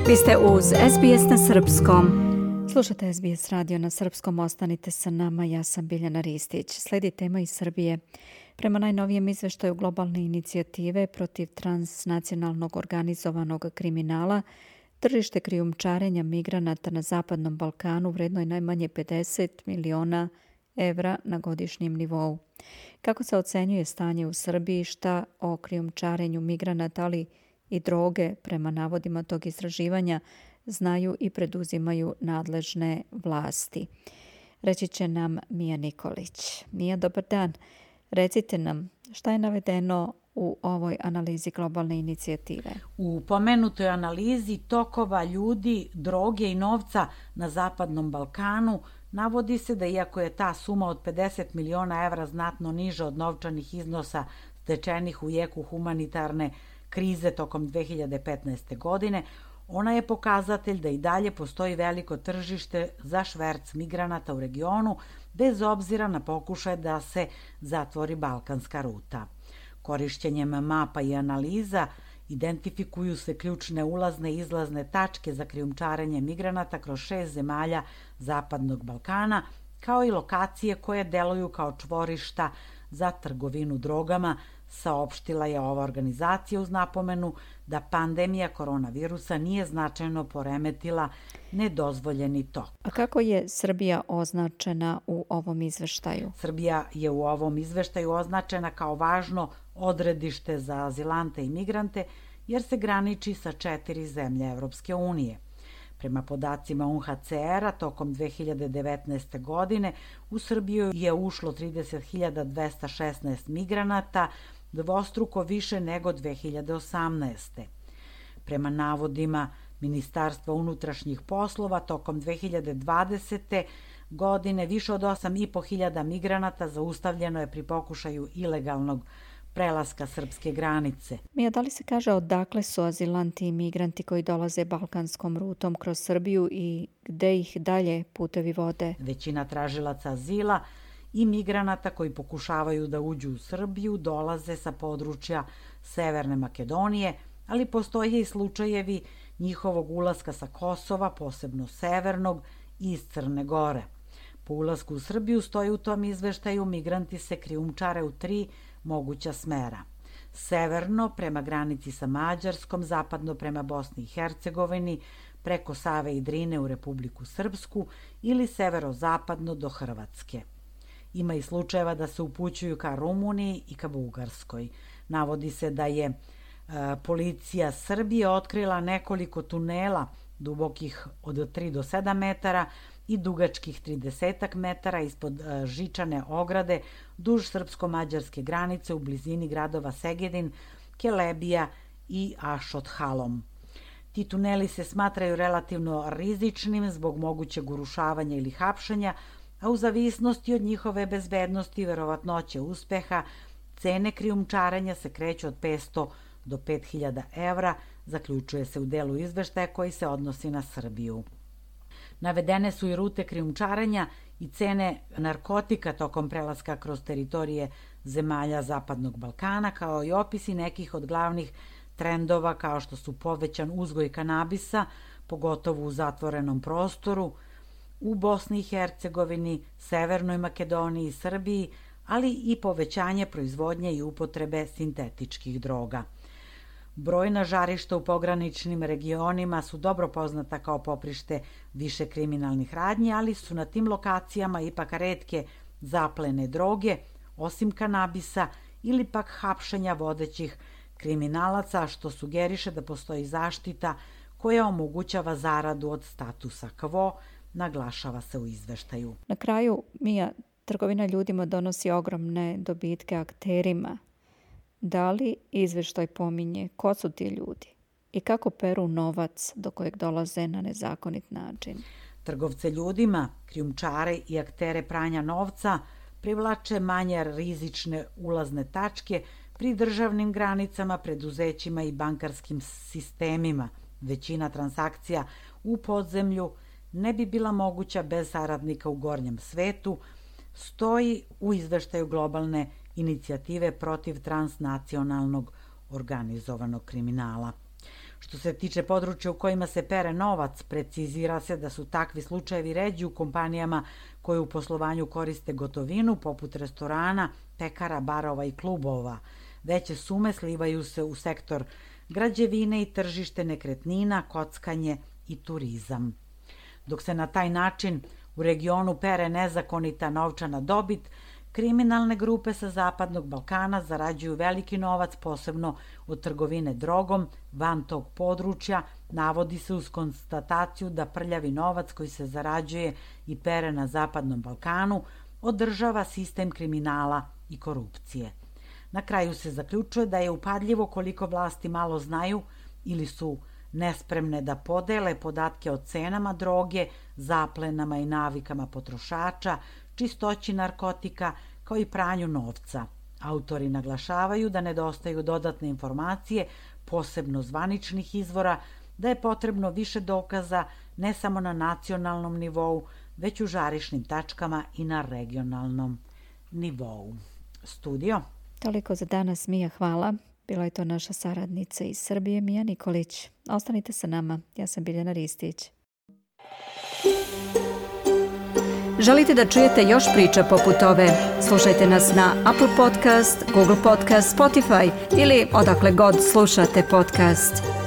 Vi ste uz SBS na srpskom. Slušate SBS radio na srpskom, ostanite sa nama, ja sam Biljana Ristić. Slijedi tema iz Srbije. Prema najnovijem izveštaju globalne inicijative protiv transnacionalnog organizovanog kriminala, tržište krijumčarenja migranata na Zapadnom Balkanu vredno je najmanje 50 miliona evra na godišnjem nivou. Kako se ocenjuje stanje u Srbiji, šta o krijumčarenju migranata, ali i droge, prema navodima tog istraživanja, znaju i preduzimaju nadležne vlasti? Reći će nam Mija Nikolić. Mija, dobar dan. Recite nam, šta je navedeno u ovoj analizi globalne inicijative? U pomenutoj analizi tokova ljudi, droge i novca na Zapadnom Balkanu navodi se da iako je ta suma od 50 miliona evra znatno niža od novčanih iznosa stečenih u jeku humanitarne krize tokom 2015. godine, ona je pokazatelj da i dalje postoji veliko tržište za šverc migranata u regionu, bez obzira na pokušaj da se zatvori balkanska ruta. Korišćenjem mapa i analiza identifikuju se ključne ulazne i izlazne tačke za krijumčarenje migranata kroz 6 zemalja Zapadnog Balkana, kao i lokacije koje deluju kao čvorišta za trgovinu drogama, saopštila je ova organizacija uz napomenu da pandemija koronavirusa nije značajno poremetila nedozvoljeni tok. A kako je Srbija označena u ovom izveštaju? Srbija je u ovom izveštaju označena kao važno odredište za azilante i migrante jer se graniči sa 4 zemlje Evropske unije. Prema podacima UNHCR-a, tokom 2019. godine u Srbiju je ušlo 30.216 migranata, dvostruko više nego 2018. Prema navodima Ministarstva unutrašnjih poslova, tokom 2020. godine više od 8.500 migranata zaustavljeno je pri pokušaju ilegalnog prelaska srpske granice. Mija, da li se kaže odakle su azilanti i migranti koji dolaze balkanskom rutom kroz Srbiju i gde ih dalje putevi vode? Većina tražilaca azila i migranata koji pokušavaju da uđu u Srbiju dolaze sa područja Severne Makedonije, ali postoje i slučajevi njihovog ulaska sa Kosova, posebno severnog, i iz Crne Gore. Po ulasku u Srbiju, stoji u tom izveštaju, migranti se krijumčare u 3 moguća smera. Severno prema granici sa Mađarskom, zapadno prema Bosni i Hercegovini, preko Save i Drine u Republiku Srpsku ili severozapadno do Hrvatske. Ima i slučajeva da se upućuju ka Rumuniji i ka Bugarskoj. Navodi se da je policija Srbije otkrila nekoliko tunela dubokih od 3 do 7 metara i dugačkih 30 metara ispod žičane ograde duž srpsko-mađarske granice u blizini gradova Segedin, Kelebija i Ašothalom. Ti tuneli se smatraju relativno rizičnim zbog mogućeg urušavanja ili hapšenja, a u zavisnosti od njihove bezbednosti i verovatnoće uspeha, cene krijumčarenja se kreću od 500 do 5.000 evra, zaključuje se u delu izveštaja koji se odnosi na Srbiju. Navedene su i rute krijumčarenja i cene narkotika tokom prelaska kroz teritorije zemalja Zapadnog Balkana, kao i opisi nekih od glavnih trendova kao što su povećan uzgoj kanabisa, pogotovo u zatvorenom prostoru, u Bosni i Hercegovini, Severnoj Makedoniji i Srbiji, ali i povećanje proizvodnje i upotrebe sintetičkih droga. Brojna žarišta u pograničnim regionima su dobro poznata kao poprište više kriminalnih radnji, ali su na tim lokacijama ipak retke zaplene droge, osim kanabisa ili pak hapšenja vodećih kriminalaca, što sugeriše da postoji zaštita koja omogućava zaradu od statusa quo, naglašava se u izveštaju. Na kraju, Mija, trgovina ljudima donosi ogromne dobitke akterima. Da li izveštaj pominje ko su ti ljudi i kako peru novac do kojeg dolaze na nezakonit način? Trgovce ljudima, krijumčare i aktere pranja novca privlače manje rizične ulazne tačke pri državnim granicama, preduzećima i bankarskim sistemima. Većina transakcija u podzemlju ne bi bila moguća bez saradnika u gornjem svetu, stoji u izveštaju globalne inicijative protiv transnacionalnog organizovanog kriminala. Što se tiče područja u kojima se pere novac, precizira se da su takvi slučajevi ređi u kompanijama koje u poslovanju koriste gotovinu, poput restorana, pekara, barova i klubova. Veće sume slivaju se u sektor građevine i tržište nekretnina, kockanje i turizam. Dok se na taj način u regionu pere nezakonita novčana dobit, kriminalne grupe sa Zapadnog Balkana zarađuju veliki novac, posebno od trgovine drogom. Van tog područja navodi se uz konstataciju da prljavi novac koji se zarađuje i pere na Zapadnom Balkanu održava sistem kriminala i korupcije. Na kraju se zaključuje da je upadljivo koliko vlasti malo znaju ili su nespremne da podele podatke o cenama droge, zaplenama i navikama potrošača, čistoći narkotika, kao i pranju novca. Autori naglašavaju da nedostaju dodatne informacije, posebno zvaničnih izvora, da je potrebno više dokaza ne samo na nacionalnom nivou, već u žarišnim tačkama i na regionalnom nivou. Studio. Toliko za danas, Mija, hvala. Bila je to naša saradnica iz Srbije, Mija Nikolić. Ostanite sa nama, ja sam Biljana Ristić. Želite da čujete još priča poput ove? Slušajte nas na Apple Podcast, Google Podcast, Spotify ili odakle god slušate podcast.